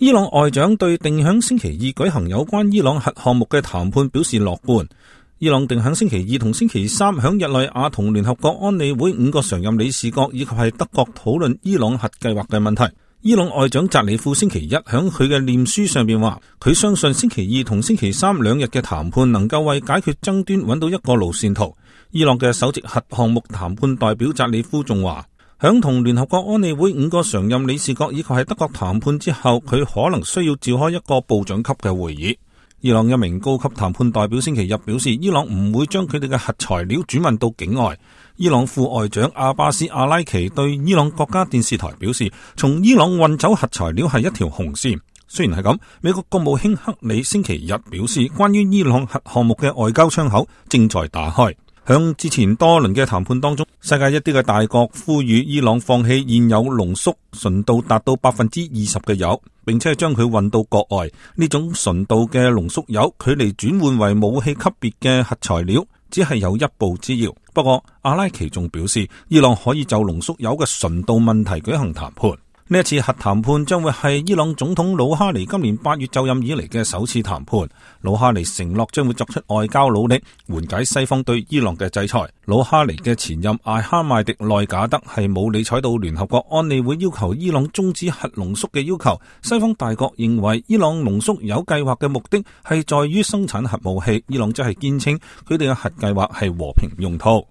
伊朗外長對定響星期二舉行有關伊朗核項目嘅談判表示樂觀。伊朗定響星期二同星期三響日內瓦同聯合國安理會5個常任理事國以及係德國討論伊朗核計劃嘅問題。伊朗外長扎里夫星期一響佢嘅臉書上邊話，佢相信星期二同星期三2日嘅談判能夠為解決爭端揾到一個路線圖。伊朗嘅首席核項目談判代表扎里夫仲話，響同聯合國安理會5個常任理事國以及係德國談判之後，佢可能需要召開一個部長級嘅會議。伊朗一名高級談判代表星期日表示，伊朗唔會將佢哋嘅核材料轉運到境外。伊朗副外長阿巴斯阿拉奇對伊朗國家電視台表示，從伊朗運走核材料係一條紅線。雖然係咁，美國國務卿克里星期日表示，關於伊朗核項目嘅外交窗口正在打開。響之前多輪嘅談判當中，世界一啲嘅大國呼籲伊朗放棄現有濃縮純度達到 20% 嘅鈾，並且將佢運到國外。呢種純度嘅濃縮鈾距離轉換為武器級別嘅核材料只係有一步之遙。不過阿拉奇仲表示，伊朗可以就濃縮鈾嘅純度問題舉行談判。呢一次核談判將會係伊朗總統魯哈尼今年8月就任以嚟嘅首次談判。魯哈尼承諾將會作出外交努力，緩解西方對伊朗嘅制裁。魯哈尼嘅前任艾哈邁迪內賈德係冇理睬到聯合國安理會要求伊朗終止核濃縮嘅要求。西方大國認為伊朗濃縮鈾計劃嘅目的係在於生產核武器，伊朗則係堅稱佢哋嘅核計劃係和平用途。